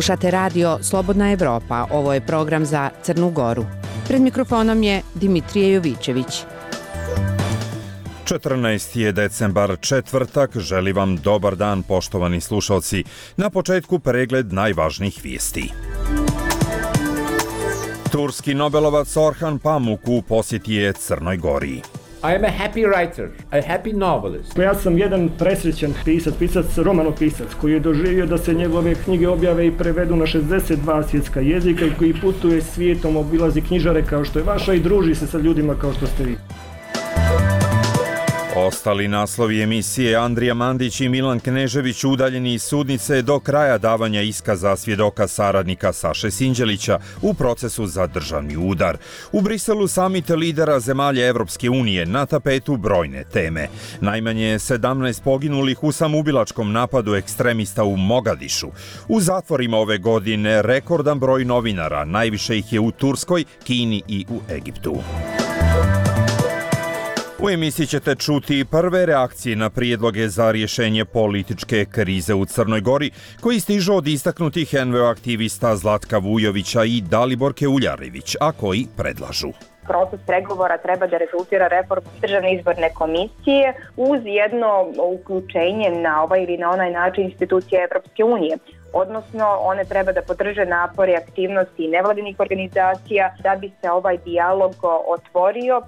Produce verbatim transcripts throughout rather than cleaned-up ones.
Slušate radio Slobodna Evropa, ovo je program za Crnu Goru. Pred mikrofonom je Dimitrije Jovićević. četrnaesti je decembar, četvrtak, želi vam dobar dan poštovani slušalci. Na početku pregled najvažnijih vijesti. Turski Nobelovac Orhan Pamuk u posjeti je Crnoj Gori. I am a happy writer, a happy novelist. Ja sam jedan presrećan pisac, pisac romanopisac koji je doživio da se njegove knjige objave i prevedu na šezdeset dva svjetska jezika i koji putuje svijetom, obilazi knjižare kao što je vaša i druži se sa ljudima kao što ste vi. Ostali naslovi emisije: Andrija Mandić i Milan Knežević udaljeni iz sudnice do kraja davanja iskaza svjedoka saradnika Saše Sinđelića u procesu za državni udar. U Briselu samit lidera zemalja Evropske unije, na tapetu brojne teme. Najmanje sedamnaest poginulih u samoubilačkom napadu ekstremista u Mogadišu. U zatvorima ove godine rekordan broj novinara, najviše ih je u Turskoj, Kini i u Egiptu. U emisiji ćete čuti prve reakcije na prijedloge za rješenje političke krize u Crnoj Gori, koji stižu od istaknutih en ve o aktivista Zlatka Vujovića i Daliborke Uljarević, a koji predlažu. Proces pregovora treba da rezultira reformu državne izborne komisije uz jedno uključenje na ovaj ili na onaj način institucije Evropske unije. Odnosno, one treba da podrže napore, aktivnosti nevladinih organizacija da bi se ovaj dijalog otvorio.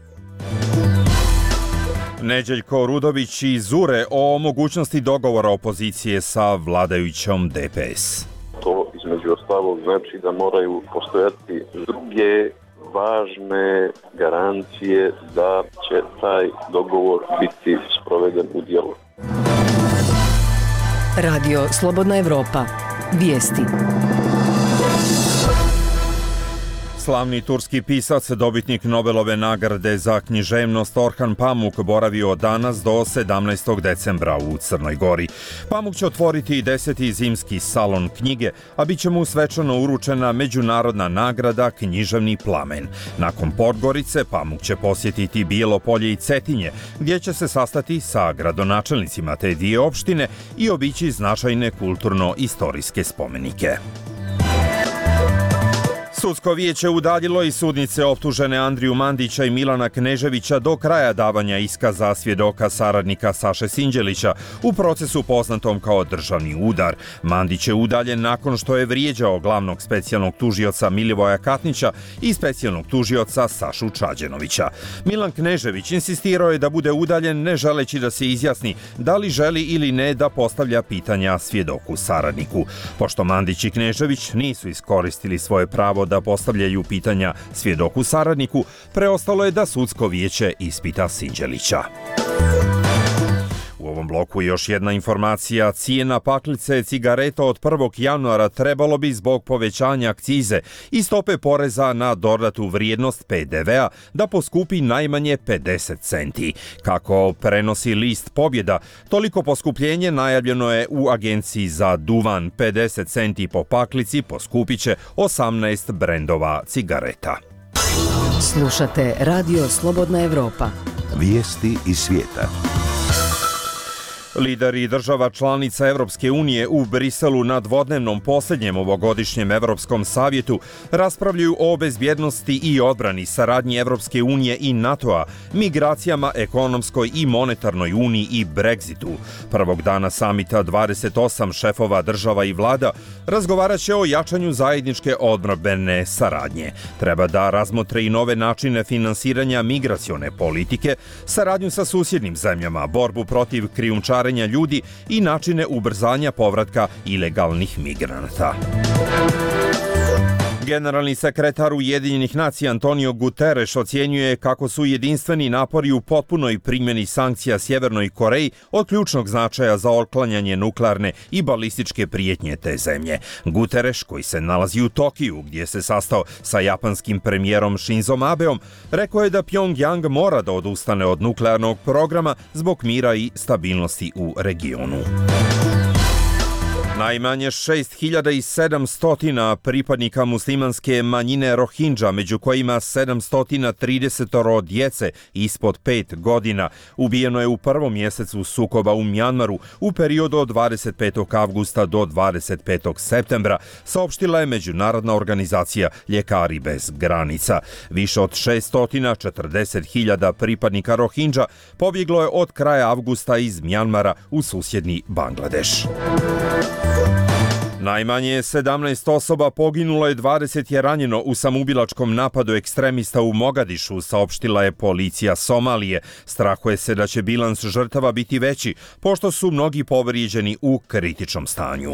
Neđeljko Rudović i Zure o mogućnosti dogovora opozicije sa vladajućom de pe es. To između ostalog znači da moraju postojati druge važne garancije da će taj dogovor biti sproveden u djelo. Radio Slobodna Evropa. Vijesti. Slavni turski pisac, dobitnik Nobelove nagrade za književnost Orhan Pamuk boravio danas do sedamnaestog decembra u Crnoj Gori. Pamuk će otvoriti deseti zimski salon knjige, a bit će mu svečano uručena međunarodna nagrada Književni plamen. Nakon Podgorice, Pamuk će posjetiti Bijelo Polje i Cetinje, gdje će se sastati sa gradonačelnicima te dvije opštine i obići značajne kulturno-istorijske spomenike. Sudsko vijeće udaljilo iz sudnice optužene Andriju Mandića i Milana Kneževića do kraja davanja iskaza svjedoka saradnika Saše Sinđelića u procesu poznatom kao državni udar. Mandić je udaljen nakon što je vrijeđao glavnog specijalnog tužioca Milivoja Katnića i specijalnog tužioca Sašu Čađenovića. Milan Knežević insistirao je da bude udaljen, ne želeći da se izjasni da li želi ili ne da postavlja pitanja svjedoku saradniku. Pošto Mandić i Knežević nisu iskoristili svoje pravo da da postavljaju pitanja svjedoku saradniku, preostalo je da sudsko vijeće ispita Sinđelića. U ovom bloku još jedna informacija: cijena paklice cigareta od prvog januara trebalo bi zbog povećanja akcize i stope poreza na dodatu vrijednost pe de vea da poskupi najmanje pedeset centi. Kako prenosi list Pobjeda, toliko poskupljenje najavljeno je u agenciji za duvan. pedeset centi po paklici poskupit će osamnaest brendova cigareta. Slušate radio Slobodna Evropa. Vijesti iz svijeta. Lideri država članica Evropske unije u Briselu na dvodnevnom posljednjem ovogodišnjem Evropskom savjetu raspravljaju o bezbjednosti i odbrani, saradnji Evropske unije i NATO-a, migracijama, ekonomskoj i monetarnoj uniji i Brexitu. Prvog dana samita dvadeset osam šefova država i vlada razgovarat će o jačanju zajedničke odbrambene saradnje. Treba da razmotre i nove načine finansiranja migracione politike, saradnju sa susjednim zemljama, borbu protiv krijumčarenja ljudi i načine ubrzanja povratka ilegalnih migranata. Generalni sekretar Ujedinjenih nacija Antonio Guterres ocjenjuje kako su jedinstveni napori u potpunoj primjeni sankcija Sjevernoj Koreji od ključnog značaja za otklanjanje nuklearne i balističke prijetnje te zemlje. Guterres, koji se nalazi u Tokiju, gdje se sastao sa japanskim premijerom Shinzom Abeom, rekao je da Pyongyang mora da odustane od nuklearnog programa zbog mira i stabilnosti u regionu. Najmanje šest hiljada sedamsto pripadnika muslimanske manjine Rohingya, među kojima sedamsto trideset djece ispod pet godina, ubijeno je u prvom mjesecu sukoba u Mjanmaru u periodu od dvadeset petog avgusta do dvadeset petog septembra, saopštila je Međunarodna organizacija Ljekari bez granica. Više od šeststo četrdeset hiljada pripadnika Rohingya pobjeglo je od kraja avgusta iz Mjanmara u susjedni Bangladeš. Najmanje sedamnaest osoba poginulo je, dvadeset je ranjeno u samoubilačkom napadu ekstremista u Mogadišu, saopštila je policija Somalije. Strahuje se da će bilans žrtava biti veći, pošto su mnogi povrijeđeni u kritičnom stanju.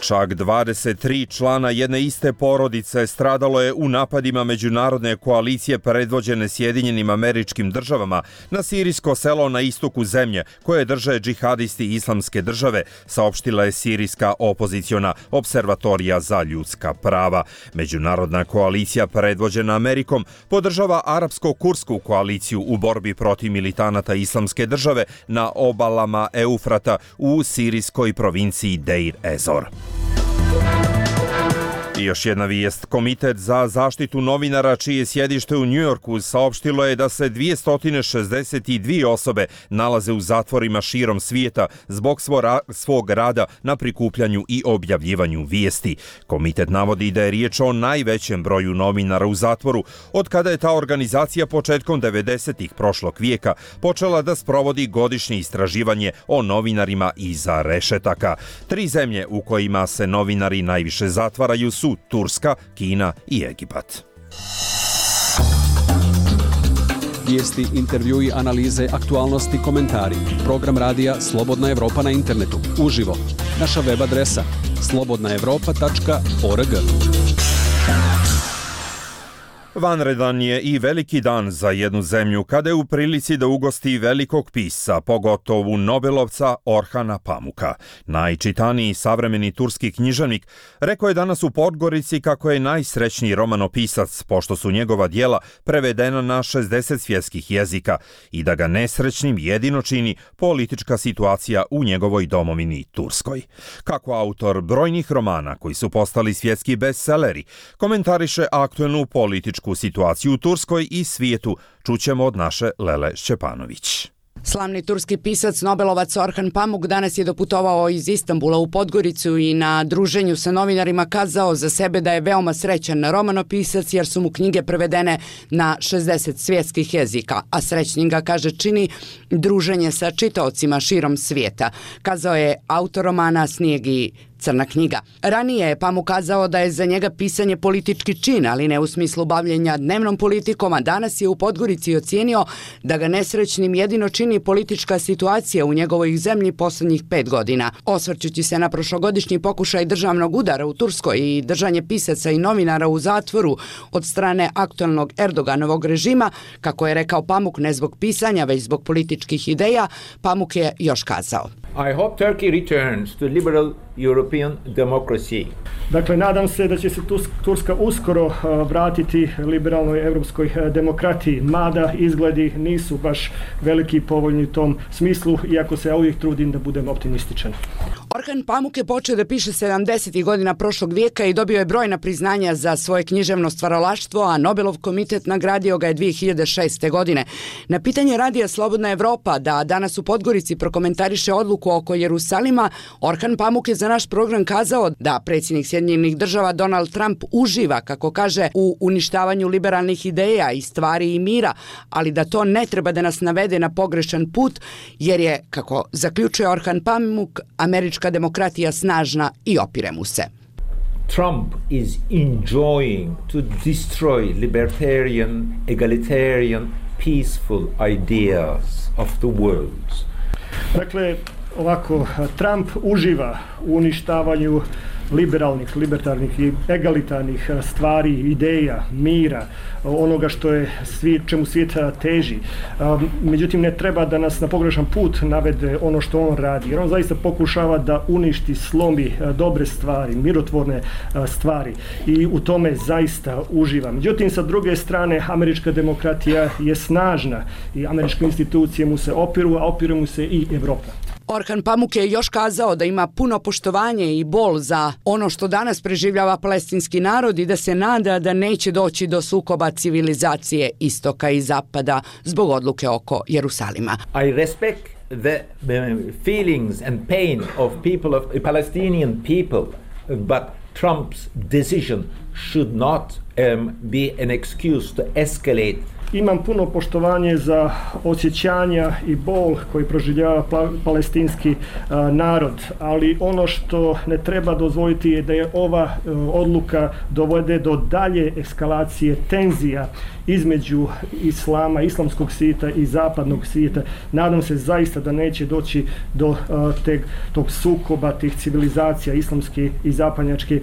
Čak dvadeset tri člana jedne iste porodice stradalo je u napadima međunarodne koalicije predvođene Sjedinjenim Američkim Državama na sirijsko selo na istoku zemlje koje drže džihadisti Islamske države, saopštila je sirijska opoziciona observatorija za ljudska prava. Međunarodna koalicija predvođena Amerikom podržava arapsko-kursku koaliciju u borbi protiv militanata Islamske države na obalama Eufrata u sirijskoj provinciji Deir ez-Zor. I još jedna vijest. Komitet za zaštitu novinara, čije sjedište u Njujorku, saopštilo je da se dvjesto šezdeset dvije osobe nalaze u zatvorima širom svijeta zbog svog rada na prikupljanju i objavljivanju vijesti. Komitet navodi da je riječ o najvećem broju novinara u zatvoru od kada je ta organizacija početkom devedesetih prošlog vijeka počela da sprovodi godišnje istraživanje o novinarima iza rešetaka. Tri zemlje u kojima se novinari najviše zatvaraju su Turska, Kina i Egipat. Vijesti, intervjui, analize, aktualnosti, komentari. Program radija Slobodna Evropa na internetu. Uživo. Naša web adresa slobodna evropa tačka org. Vanredan je i veliki dan za jednu zemlju kada je u prilici da ugosti velikog pisca, pogotovo Nobelovca Orhana Pamuka. Najčitaniji savremeni turski književnik rekao je danas u Podgorici kako je najsrećniji romanopisac, pošto su njegova djela prevedena na šezdeset svjetskih jezika i da ga nesrećnim jedino čini politička situacija u njegovoj domovini Turskoj. Kako autor brojnih romana koji su postali svjetski bestseleri komentariše aktuelnu političku situaciju u Turskoj i svijetu, čućemo od naše Lele Šćepanović. Slavni turski pisac, Nobelovac Orhan Pamuk danas je doputovao iz Istanbula u Podgoricu i na druženju sa novinarima kazao za sebe da je veoma srećan romanopisac jer su mu knjige prevedene na šezdeset svjetskih jezika, a srećnim ga, kaže, čini druženje sa čitaocima širom svijeta. Kazao je autor romana Snijeg i Crna knjiga. Ranije je Pamuk kazao da je za njega pisanje politički čin, ali ne u smislu bavljenja dnevnom politikom, a danas je u Podgorici ocijenio da ga nesrećnim jedino čini politička situacija u njegovoj zemlji posljednjih pet godina. Osvrćući se na prošlogodišnji pokušaj državnog udara u Turskoj i držanje pisaca i novinara u zatvoru od strane aktualnog Erdoganovog režima, kako je rekao Pamuk, ne zbog pisanja, već zbog političkih ideja, Pamuk je još kazao: I hope Turkey returns to liberal European democracy. Dakle, nadam se da će se Turska uskoro vratiti liberalnoj europskoj demokratiji, mada izgledi nisu baš veliki i povoljni u tom smislu, iako se ja uvijek trudim da budem optimističan. Orhan Pamuk je počeo da piše sedamdesetih godina prošlog vijeka i dobio je brojna priznanja za svoje književno stvaralaštvo, a Nobelov komitet nagradio ga je dvije hiljade šeste. godine. Na pitanje radija Slobodna Evropa da danas u Podgorici prokomentariše odluku oko Jerusalima, Orhan Pamuk je za naš program kazao da predsjednik Sjedinjenih Država Donald Trump uživa, kako kaže, u uništavanju liberalnih ideja i stvari i mira, ali da to ne treba da nas navede na pogrešan put, jer je, kako zaključuje Orhan Pamuk, američka demokratija snažna i opire mu se. Trump is enjoying to destroy libertarian, egalitarian, peaceful ideas of the world. Dakle, ovako, Trump uživa u uništavanju liberalnih, libertarnih i egalitarnih stvari, ideja, mira, onoga što je svijet, čemu svijet teži. Međutim, ne treba da nas na pogrešan put navede ono što on radi, jer on zaista pokušava da uništi, slomi dobre stvari, mirotvorne stvari i u tome zaista uživa. Međutim, sa druge strane, američka demokratija je snažna i američke institucije mu se opiru, a opire mu se i Evropa. Orhan Pamuk je još kazao da ima puno poštovanje i bol za ono što danas preživljava palestinski narod i da se nada da neće doći do sukoba civilizacije istoka i zapada zbog odluke oko Jerusalima. I respect the feelings and pain of people of Palestinian people, but Trump's decision should not um, be an excuse to escalate. Imam puno poštovanje za osjećanja i bol koji proživljava palestinski a, narod, ali ono što ne treba dozvoliti je da je ova a, odluka dovede do dalje eskalacije tenzija između islama, islamskog svijeta i zapadnog svijeta. Nadam se zaista da neće doći do a, teg, tog sukoba, tih civilizacija islamske i zapadnjačke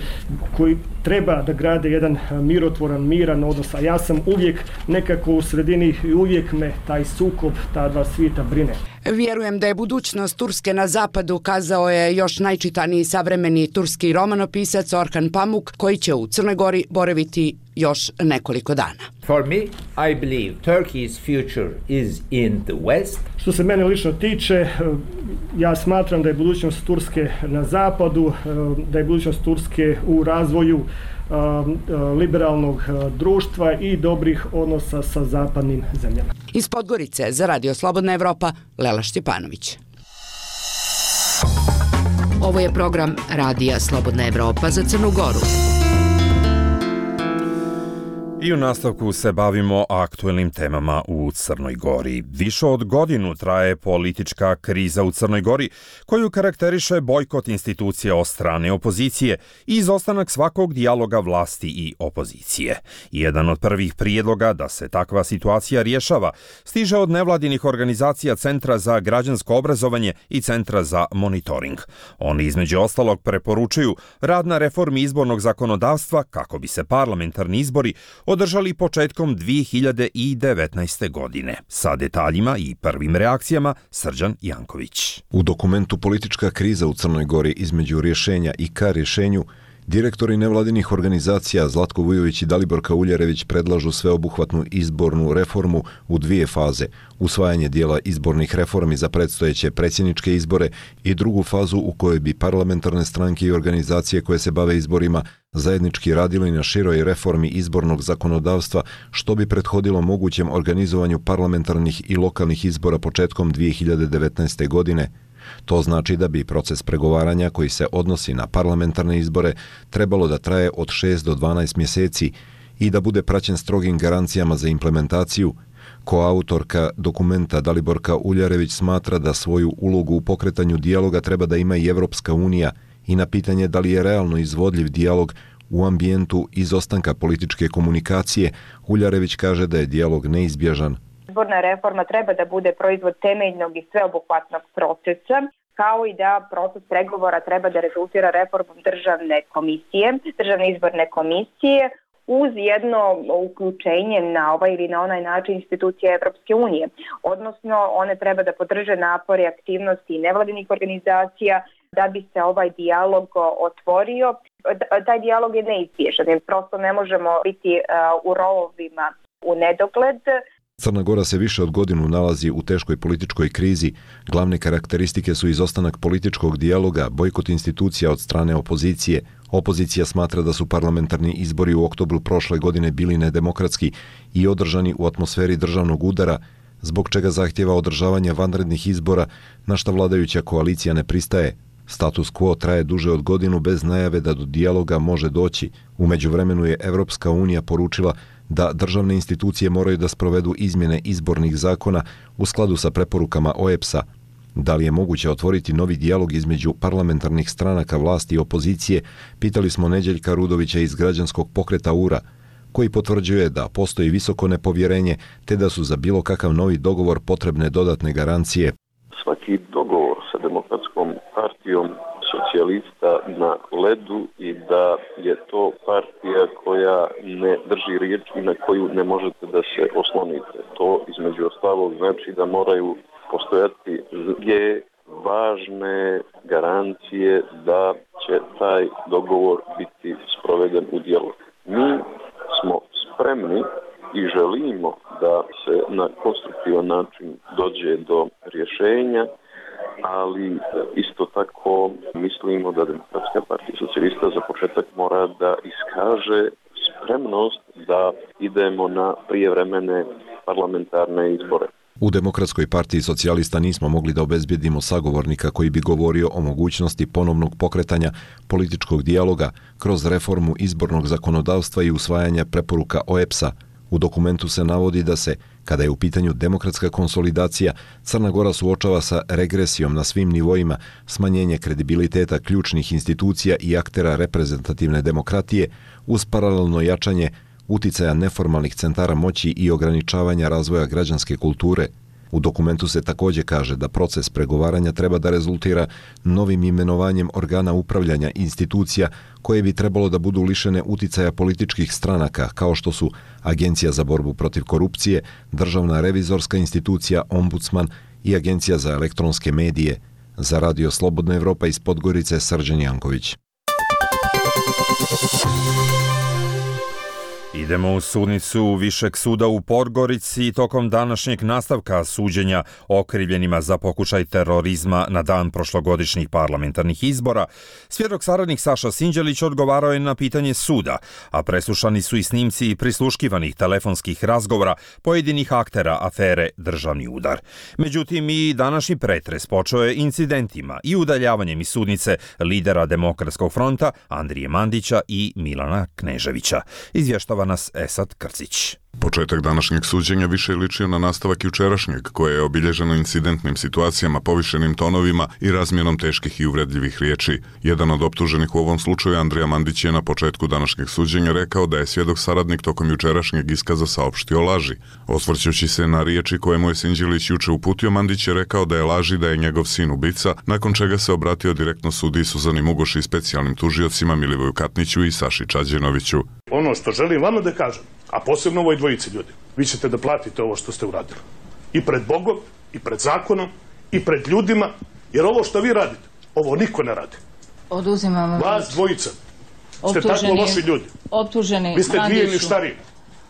koji treba da grade jedan mirotvoran, miran odnos, a ja sam uvijek nekako u sredini i uvijek me taj sukob, ta dva svijeta brine. Vjerujem da je budućnost Turske na zapadu, kazao je još najčitaniji savremeni turski romanopisac Orhan Pamuk, koji će u Crnoj Gori boraviti još nekoliko dana. For me, I believe Turkey's future is in the West. Što se mene lično tiče, ja smatram da je budućnost Turske na zapadu, da je budućnost Turske u razvoju liberalnog društva i dobrih odnosa sa zapadnim zemljama. Iz Podgorice za Radio Slobodna Evropa, Lela Štjepanović. Ovo je program Radija Slobodna Evropa za Crnu Goru. I u nastavku se bavimo aktuelnim temama u Crnoj Gori. Više od godinu traje politička kriza u Crnoj Gori, koju karakteriše bojkot institucija od strane opozicije i izostanak svakog dijaloga vlasti i opozicije. Jedan od prvih prijedloga da se takva situacija rješava stiže od nevladinih organizacija Centra za građansko obrazovanje i Centra za monitoring. Oni između ostalog preporučuju rad na reformi izbornog zakonodavstva kako bi se parlamentarni izbori održali početkom dvije hiljade devetnaeste. godine. Sa detaljima i prvim reakcijama Srđan Janković. U dokumentu Politička kriza u Crnoj Gori između rješenja i ka rješenju, direktori nevladinih organizacija Zlatko Vujović i Daliborka Uljarević predlažu sveobuhvatnu izbornu reformu u dvije faze, usvajanje dijela izbornih reformi za predstojeće predsjedničke izbore i drugu fazu u kojoj bi parlamentarne stranke i organizacije koje se bave izborima zajednički radili na široj reformi izbornog zakonodavstva, što bi prethodilo mogućem organizovanju parlamentarnih i lokalnih izbora početkom dvije hiljade devetnaeste. godine. To znači da bi proces pregovaranja koji se odnosi na parlamentarne izbore trebalo da traje od šest do dvanaest mjeseci i da bude praćen strogim garancijama za implementaciju. Koautorka dokumenta Daliborka Uljarević smatra da svoju ulogu u pokretanju dijaloga treba da ima i Evropska unija i na pitanje da li je realno izvodljiv dijalog u ambijentu izostanka političke komunikacije, Uljarević kaže da je dijalog neizbježan. Izborna reforma treba da bude proizvod temeljnog i sveobuhvatnog procesa, kao i da proces pregovora treba da rezultira reformom državne komisije, državne izborne komisije, uz jedno uključenje na ovaj ili na onaj način institucije Evropske unije. Odnosno, one treba da podrže napore i aktivnosti nevladinih organizacija da bi se ovaj dijalog otvorio. Taj dijalog je neizbježan, jer prosto ne možemo biti u rovovima u nedogled. Crna Gora se više od godinu nalazi u teškoj političkoj krizi. Glavne karakteristike su izostanak političkog dijaloga, bojkot institucija od strane opozicije. Opozicija smatra da su parlamentarni izbori u oktobru prošle godine bili nedemokratski i održani u atmosferi državnog udara, zbog čega zahtjeva održavanje vanrednih izbora, na šta vladajuća koalicija ne pristaje. Status quo traje duže od godinu bez najave da do dijaloga može doći. U međuvremenu je Evropska unija poručila da državne institucije moraju da sprovedu izmjene izbornih zakona u skladu sa preporukama O E B S-a. Da li je moguće otvoriti novi dijalog između parlamentarnih stranaka vlasti i opozicije, pitali smo Neđeljka Rudovića iz građanskog pokreta U R A, koji potvrđuje da postoji visoko nepovjerenje te da su za bilo kakav novi dogovor potrebne dodatne garancije. Svaki dogovor sa Demokratskom partijom socijalista na ledu i da je to partija koja ne drži riječ i na koju ne možete da se oslonite. To između ostalog znači da moraju postojati druge važne garancije da će taj dogovor biti sproveden u djelo. Mi smo spremni i želimo da se na konstruktivan način dođe do rješenja ali isto tako mislimo da Demokratska partija socijalista za početak mora da iskaže spremnost da idemo na prijevremene parlamentarne izbore. U Demokratskoj partiji socijalista nismo mogli da obezbjedimo sagovornika koji bi govorio o mogućnosti ponovnog pokretanja političkog dijaloga kroz reformu izbornog zakonodavstva i usvajanja preporuka O E B S-a. U dokumentu se navodi da se, kada je u pitanju demokratska konsolidacija, Crna Gora suočava sa regresijom na svim nivoima, smanjenje kredibiliteta ključnih institucija i aktera reprezentativne demokratije uz paralelno jačanje uticaja neformalnih centara moći i ograničavanja razvoja građanske kulture. U dokumentu se također kaže da proces pregovaranja treba da rezultira novim imenovanjem organa upravljanja institucija koje bi trebalo da budu lišene uticaja političkih stranaka kao što su Agencija za borbu protiv korupcije, Državna revizorska institucija, Ombudsman i Agencija za elektronske medije. Za Radio Slobodna Evropa iz Podgorice, Srđan Janković. Idemo u sudnicu Višeg suda u Podgorici tokom današnjeg nastavka suđenja okrivljenima za pokušaj terorizma na dan prošlogodišnjih parlamentarnih izbora. Svjedok saradnik Saša Sinđelić odgovarao je na pitanje suda, a preslušani su i snimci prisluškivanih telefonskih razgovora pojedinih aktera afere Državni udar. Međutim, i današnji pretres počeo je incidentima i udaljavanjem iz sudnice lidera Demokratskog fronta Andrije Mandića i Milana Kneževića. Izvještava nas Esad Krcić. Početak današnjeg suđenja više je ličio na nastavak jučerašnjeg, koje je obilježeno incidentnim situacijama, povišenim tonovima i razmjenom teških i uvredljivih riječi. Jedan od optuženih u ovom slučaju, Andrija Mandić, je na početku današnjeg suđenja rekao da je svjedok saradnik tokom jučerašnjeg iskaza saopštio laži. Osvrćući se na riječi koje mu je Sinđelić juče uputio, Mandić je rekao da je laži da je njegov sin ubica, nakon čega se obratio direktno sudiji Suzani Mugoši i specijalnim tužiocima Milivoju Katniću i Saši Čađenoviću. Ono što želim vama da kažem, a posebno ovoj dvojici ljudi, vi ćete da platite ovo što ste uradili. I pred Bogom, i pred zakonom, i pred ljudima, jer ovo što vi radite, ovo niko ne radi. Oduzimam vam. Vas dvojica ste tako loši ljudi. Optuženi vi ste dvije Mandiću. ništarine.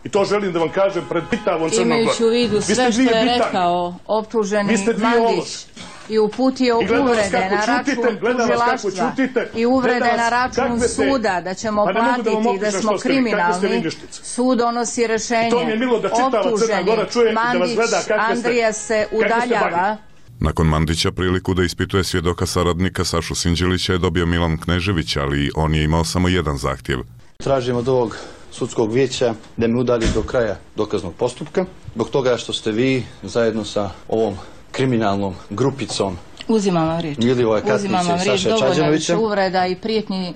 I to želim da vam kažem pred pitavom Crnom Gorom. Imajući u vidu sve što je rekao optuženi Mandić i uputio uvrede na račun tužilaštva i uvrede na račun suda da ćemo platiti i da smo kriminalni, sud donosi rešenje. Optuženi Mandić Andrija se udaljava. Nakon Mandića priliku da ispituje svjedoka saradnika Sašu Sinđelića je dobio Milan Knežević, ali on je imao samo jedan zahtjev. Tražim od ovog sudskog vijeća da me udalji do kraja dokaznog postupka, zbog toga što ste vi zajedno sa ovom kriminalnom grupicom Uzimam vam riječ. Uzimam vam riječ, dovoljno više uvreda i prijetnji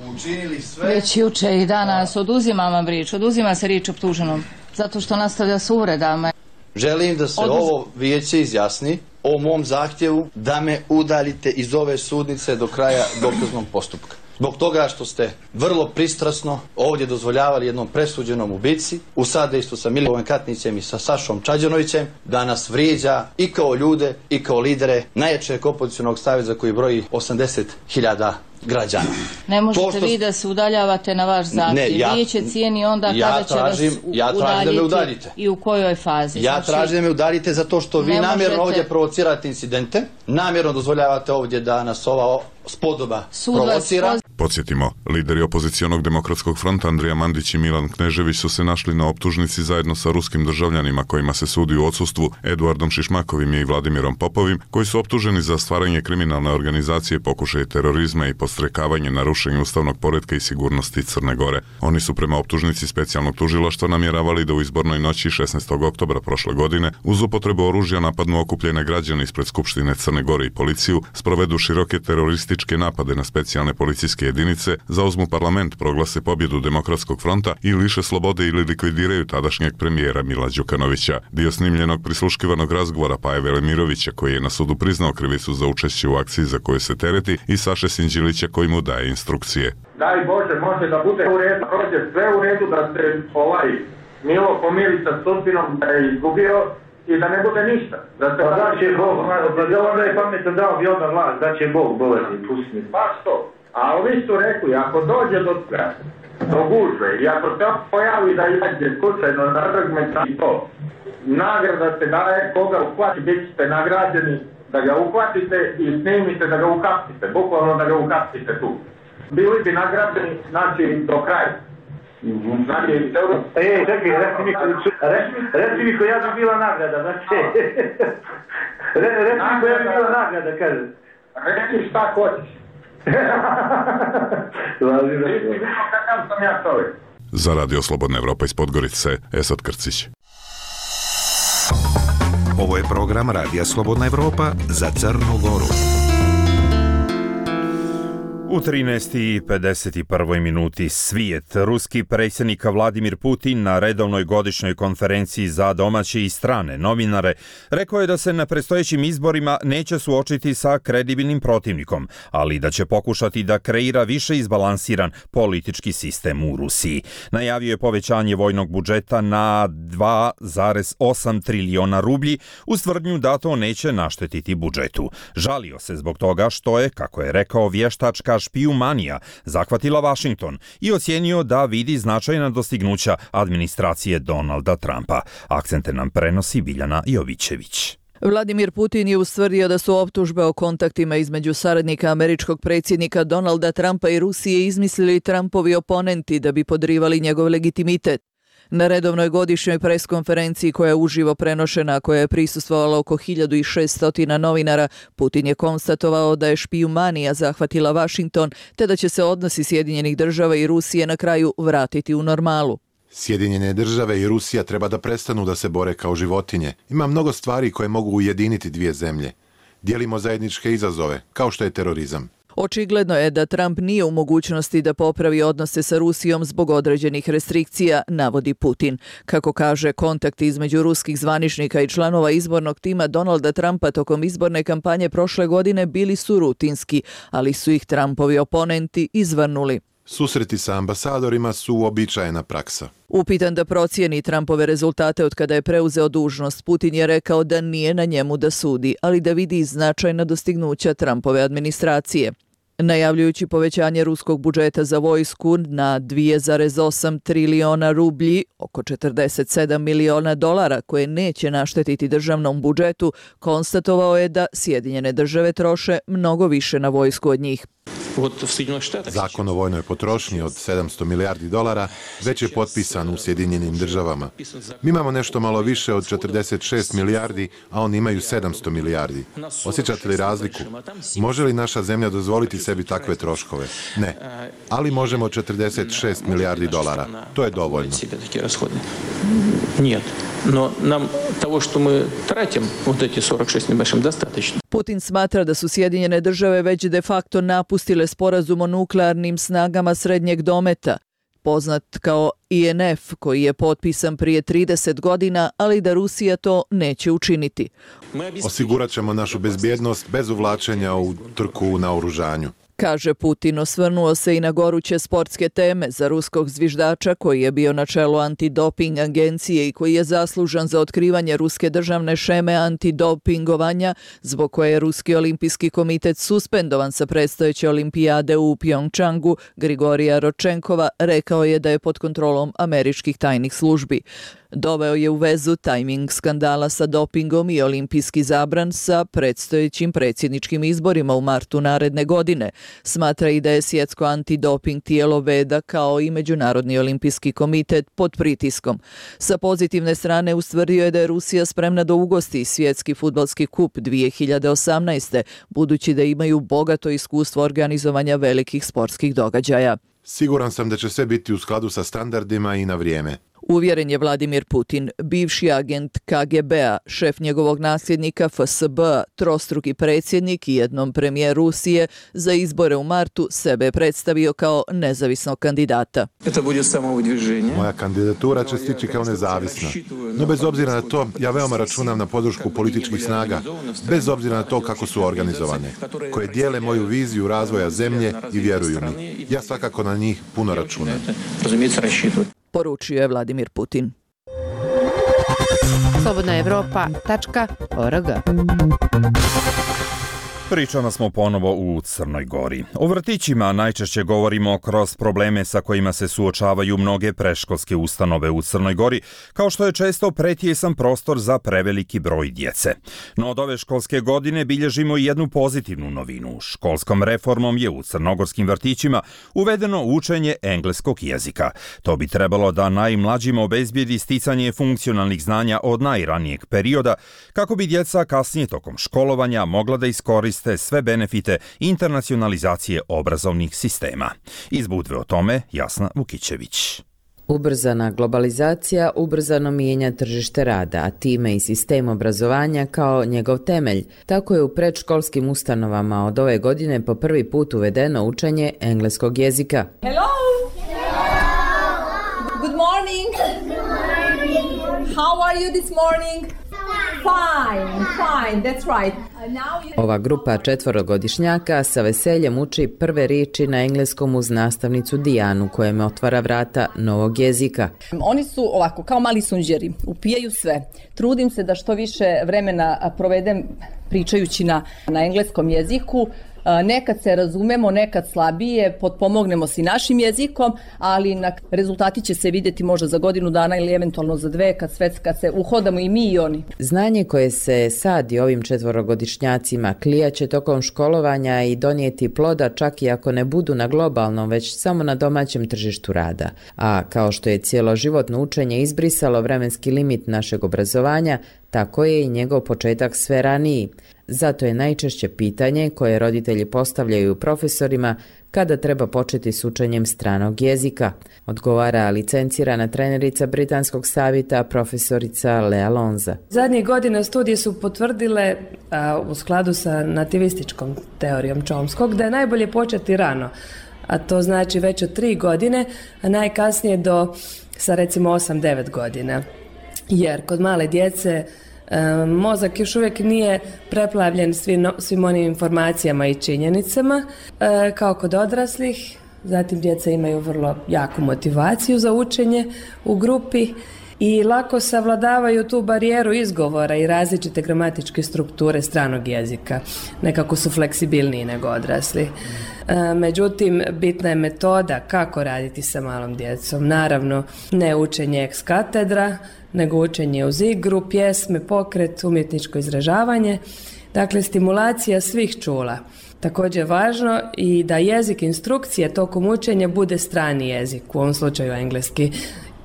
već juče i danas. Oduzimam vam riječ, oduzima se riječ optuženom, zato što nastavlja s uvredama. Želim da se Oduz... ovo vijeće izjasni o mom zahtjevu da me udaljite iz ove sudnice do kraja dokaznog postupka. Zbog toga što ste vrlo pristrasno ovdje dozvoljavali jednom presuđenom ubici u sadejstvu sa Milivojem Katnićem i sa Sašom Čađanovićem da nas vrijeđa i kao ljude i kao lidere najjačeg opozicionog saveza koji broji osamdeset hiljada građana. Ne možete Pošto... vi da se udaljavate na vaš zahtjev. Ja, Vijeće cijeni onda ja kada će tražim, vas ja udaljiti da me udaljite. I u kojoj fazi. Ja znači, tražim da me udaljite zato što vi namjerno možete... ovdje provocirate incidente, namjerno dozvoljavate ovdje da nas ova spodoba Sud provocira. Vas... Podsjetimo, lideri opozicionog Demokratskog fronta Andrija Mandić i Milan Knežević su se našli na optužnici zajedno sa ruskim državljanima kojima se sudi u odsustvu Eduardom Šišmakovim i Vladimirom Popovim, koji su optuženi za stvaranje kriminalne organizacije, pokušaje terorizma i podstrekavanje na rušenje ustavnog poretka i sigurnosti Crne Gore. Oni su prema optužnici specijalnog tužilaštva namjeravali da u izbornoj noći šesnaestog oktobra prošle godine uz upotrebu oružja napadnu okupljene građane ispred Skupštine Crne Gore i policiju, sprovedu široke terorističke napade na specijalne policijske jedinice, zauzmu parlament, proglase pobjedu Demokratskog fronta i liše slobode ili likvidiraju tadašnjeg premijera Mila Đukanovića. Dio snimljenog prisluškivanog razgovora Paje Velimirovića, koji je na sudu priznao krivicu za učešće u akciji za koju se tereti, i Saše Sinđelića koji mu daje instrukcije. Daj Bože, može da bude u redu, prođe sve u redu, da se ovaj Milo pomiri sa sudbinom da je izgubio i da ne bude ništa. Da se da će Bog, da onda je pametan dao bi onda vlast, da će Bog bolesti, pusti mi. Pa što? A ovi su rekli, ako dođe do do gužve i ako se pojavi da izađe slučajno na argument i to, nagrada se daje, koga uhvati, bit ćete nagrađeni da ga uhvatite i snimite da ga ukapsite, bukvalno da ga ukapsite tu. Bili bi nagrađeni, znači, do kraja. Znači, e, čekaj, reci mi, reci mi koja bi bila nagrada, znači, reci mi koja bi bila nagrada, kaže. Reci šta hoćeš. Kakav sam ja čovjek. Za Radio Slobodna Evropa iz Podgorice, Esad Krcić. Ovo je program Radija Slobodna Evropa za Crnu Goru. U trinaest i pedeset prvoj minuti svijet. Ruski predsjednik Vladimir Putin na redovnoj godišnjoj konferenciji za domaće i strane novinare rekao je da se na predstojećim izborima neće suočiti sa kredibilnim protivnikom, ali da će pokušati da kreira više izbalansiran politički sistem u Rusiji. Najavio je povećanje vojnog budžeta na dva zarez osam triliona rublji uz tvrdnju da to neće naštetiti budžetu. Žalio se zbog toga što je, kako je rekao, vještačka špijumanija zahvatila Vašington i ocijenio da vidi značajna dostignuća administracije Donalda Trumpa. Akcente nam prenosi Biljana Jovićević. Vladimir Putin je ustvrdio da su optužbe o kontaktima između saradnika američkog predsjednika Donalda Trumpa i Rusije izmislili Trumpovi oponenti da bi podrivali njegov legitimitet. Na redovnoj godišnjoj preskonferenciji koja je uživo prenošena, a koja je prisustvovalo oko hiljadu šessto novinara, Putin je konstatovao da je špijumanija zahvatila Vašington, te da će se odnosi Sjedinjenih država i Rusije na kraju vratiti u normalu. Sjedinjene države i Rusija treba da prestanu da se bore kao životinje. Ima mnogo stvari koje mogu ujediniti dvije zemlje. Dijelimo zajedničke izazove, kao što je terorizam. Očigledno je da Trump nije u mogućnosti da popravi odnose sa Rusijom zbog određenih restrikcija, navodi Putin. Kako kaže, kontakti između ruskih zvaničnika i članova izbornog tima Donalda Trumpa tokom izborne kampanje prošle godine bili su rutinski, ali su ih Trumpovi oponenti izvrnuli. Susreti sa ambasadorima su uobičajena praksa. Upitan da procijeni Trumpove rezultate od kada je preuzeo dužnost, Putin je rekao da nije na njemu da sudi, ali da vidi značajna dostignuća Trumpove administracije. Najavljujući povećanje ruskog budžeta za vojsku na dva zarez osam triliona rublji, oko četrdeset sedam miliona dolara, koje neće naštetiti državnom budžetu, konstatovao je da Sjedinjene države troše mnogo više na vojsku od njih. Zakon o vojnoj potrošnji od sedamsto milijardi dolara već je potpisan u Sjedinjenim državama. Mi imamo nešto malo više od četrdeset šest milijardi, a oni imaju sedamsto milijardi. Osjećate li razliku? Može li naša zemlja dozvoliti sebi takve troškove? Ne. Ali možemo četrdeset šest milijardi dolara. To je dovoljno. Нет, но нам того, что мы тратим, вот эти сорок шесть небольшим, достаточно. Putin smatra da su Sjedinjene države već de facto napustile sporazum o nuklearnim snagama srednjeg dometa, poznat kao I N F, koji je potpisan prije trideset godina, ali da Rusija to neće učiniti. Osigurat ćemo našu bezbjednost bez uvlačenja u trku u naoružanju, kaže Putin. Osvrnuo se i na goruće sportske teme za ruskog zviždača koji je bio na čelu antidoping agencije i koji je zaslužan za otkrivanje ruske državne šeme antidopingovanja, zbog koje je Ruski olimpijski komitet suspendovan sa predstojeće olimpijade u Pjongčangu. Grigorija Ročenkova rekao je da je pod kontrolom američkih tajnih službi. Doveo je u vezu tajming skandala sa dopingom i olimpijski zabran sa predstojećim predsjedničkim izborima u martu naredne godine. Smatra i da je svjetsko antidoping tijelo VEDA kao i Međunarodni olimpijski komitet pod pritiskom. Sa pozitivne strane ustvrdio je da je Rusija spremna da ugosti svjetski fudbalski kup dvije hiljade osamnaeste. budući da imaju bogato iskustvo organizovanja velikih sportskih događaja. Siguran sam da će sve biti u skladu sa standardima i na vrijeme. Uvjeren je Vladimir Putin. Bivši agent K G B-a, šef njegovog nasljednika F S B-a, trostruki predsjednik i jednom premijer Rusije, za izbore u martu sebe je predstavio kao nezavisnog kandidata. Moja kandidatura će stići kao nezavisna. No bez obzira na to, ja veoma računam na podršku političkih snaga, bez obzira na to kako su organizovane, koje dijele moju viziju razvoja zemlje i vjeruju mi. Ja svakako na njih puno računam. Poručio je Vladimir Putin. slobodna evropa tačka org Pričamo smo ponovo u Crnoj Gori. O vrtićima najčešće govorimo kroz probleme sa kojima se suočavaju mnoge predškolske ustanove u Crnoj Gori, kao što je često pretjesan prostor za preveliki broj djece. No od ove školske godine bilježimo i jednu pozitivnu novinu. Školskom reformom je u crnogorskim vrtićima uvedeno učenje engleskog jezika. To bi trebalo da najmlađima obezbijedi sticanje funkcionalnih znanja od najranijeg perioda, kako bi djeca kasnije tokom školovanja mogla da iskoriste sve benefite internacionalizacije obrazovnih sistema. Iz Budve o tome Jasna Vukićević. Ubrzana globalizacija ubrzano mijenja tržište rada, a time i sistem obrazovanja kao njegov temelj. Tako je u predškolskim ustanovama od ove godine po prvi put uvedeno učenje engleskog jezika. Hello! Good morning! How are you this morning? Fine, fine, that's right. Ova grupa četvorogodišnjaka sa veseljem uči prve riječi na engleskom uz nastavnicu Dijanu, koja im otvara vrata novog jezika. Oni su ovako, kao mali sunđeri, upijaju sve. Trudim se da što više vremena provedem pričajući na, na engleskom jeziku. Nekad se razumemo, nekad slabije, potpomognemo si našim jezikom, ali na rezultati će se vidjeti možda za godinu dana ili eventualno za dve, kad, sve, kad se uhodamo i mi i oni. Znanje koje se sadi ovim četvorogodišnjacima klijaće tokom školovanja i donijeti ploda čak i ako ne budu na globalnom, već samo na domaćem tržištu rada. A kao što je cjeloživotno učenje izbrisalo vremenski limit našeg obrazovanja, tako je i njegov početak sve raniji. Zato je najčešće pitanje koje roditelji postavljaju profesorima kada treba početi s učenjem stranog jezika, odgovara licencirana trenerica Britanskog savjeta profesorica Lea Lonza. Zadnjih godina studije su potvrdile a, u skladu sa nativističkom teorijom Chomskog da je najbolje početi rano, a to znači već od tri godine, a najkasnije do sa recimo osam devet godina. Jer kod male djece E, mozak još uvijek nije preplavljen svim, svim onim informacijama i činjenicama e, kao kod odraslih. Zatim djeca imaju vrlo jaku motivaciju za učenje u grupi i lako savladavaju tu barijeru izgovora i različite gramatičke strukture stranog jezika. Nekako su fleksibilniji nego odrasli. E, međutim, bitna je metoda kako raditi sa malom djecom. Naravno, ne učenje ex katedra, nego učenje uz igru, pjesme, pokret, umjetničko izražavanje. Dakle, stimulacija svih čula. Također je važno i da jezik instrukcije tokom učenja bude strani jezik, u ovom slučaju engleski.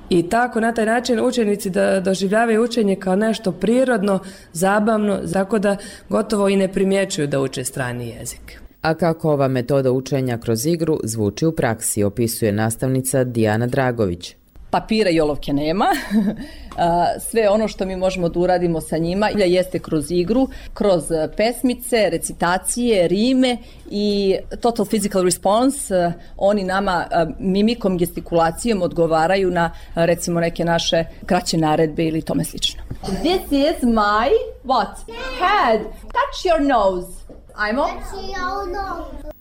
I tako na taj način učenici da doživljavaju učenje kao nešto prirodno, zabavno, tako da gotovo i ne primjećuju da uče strani jezik. A kako ova metoda učenja kroz igru zvuči u praksi, opisuje nastavnica Dijana Dragović. Papira i olovke nema. Sve ono što mi možemo da uradimo sa njima jeste kroz igru, kroz pesmice, recitacije, rime i total physical response. Oni nama mimikom, gestikulacijom odgovaraju na recimo neke naše kraće naredbe ili tome slično. This is my what? Head. Touch your nose. Ajmo.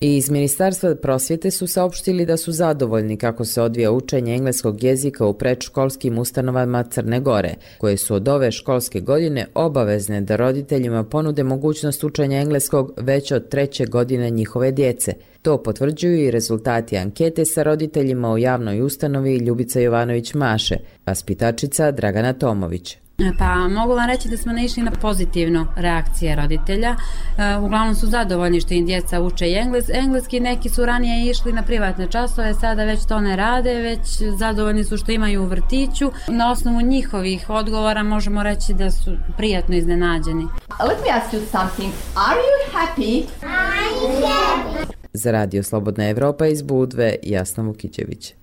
I iz Ministarstva prosvjete su saopštili da su zadovoljni kako se odvija učenje engleskog jezika u predškolskim ustanovama Crne Gore, koje su od ove školske godine obavezne da roditeljima ponude mogućnost učenja engleskog već od treće godine njihove djece. To potvrđuju i rezultati ankete sa roditeljima u javnoj ustanovi Ljubica Jovanović Maše, vaspitačica Dragana Tomović. Pa mogu vam reći da smo naišli na pozitivno reakcije roditelja. E, uglavnom su zadovoljni što im djeca uče engles, engleski, neki su ranije išli na privatne časove, sada već to ne rade, već zadovoljni su što imaju u vrtiću. Na osnovu njihovih odgovora možemo reći da su prijatno iznenađeni. Let me ask you something. Are you happy? I'm happy. Za Radio Slobodna Evropa iz Budve, Jasna Vukićević.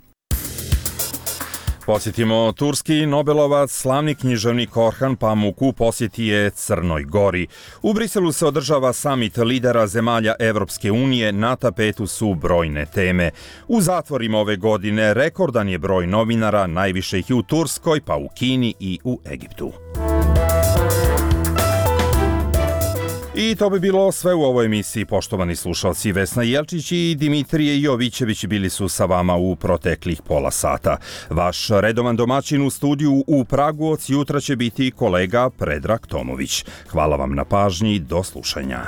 Posjetimo, turski Nobelovac, slavni književnik Orhan Pamuk u posjeti je Crnoj Gori. U Briselu se održava samit lidera zemalja Evropske unije, na tapetu su brojne teme. U zatvorima ove godine rekordan je broj novinara, najviše ih i u Turskoj, pa u Kini i u Egiptu. I to bi bilo sve u ovoj emisiji, poštovani slušalci. Vesna Jelčić i Dimitrije Jovićević bili su sa vama u proteklih pola sata. Vaš redovan domaćin u studiju u Pragu od jutra će biti kolega Predrag Tomović. Hvala vam na pažnji, do slušanja.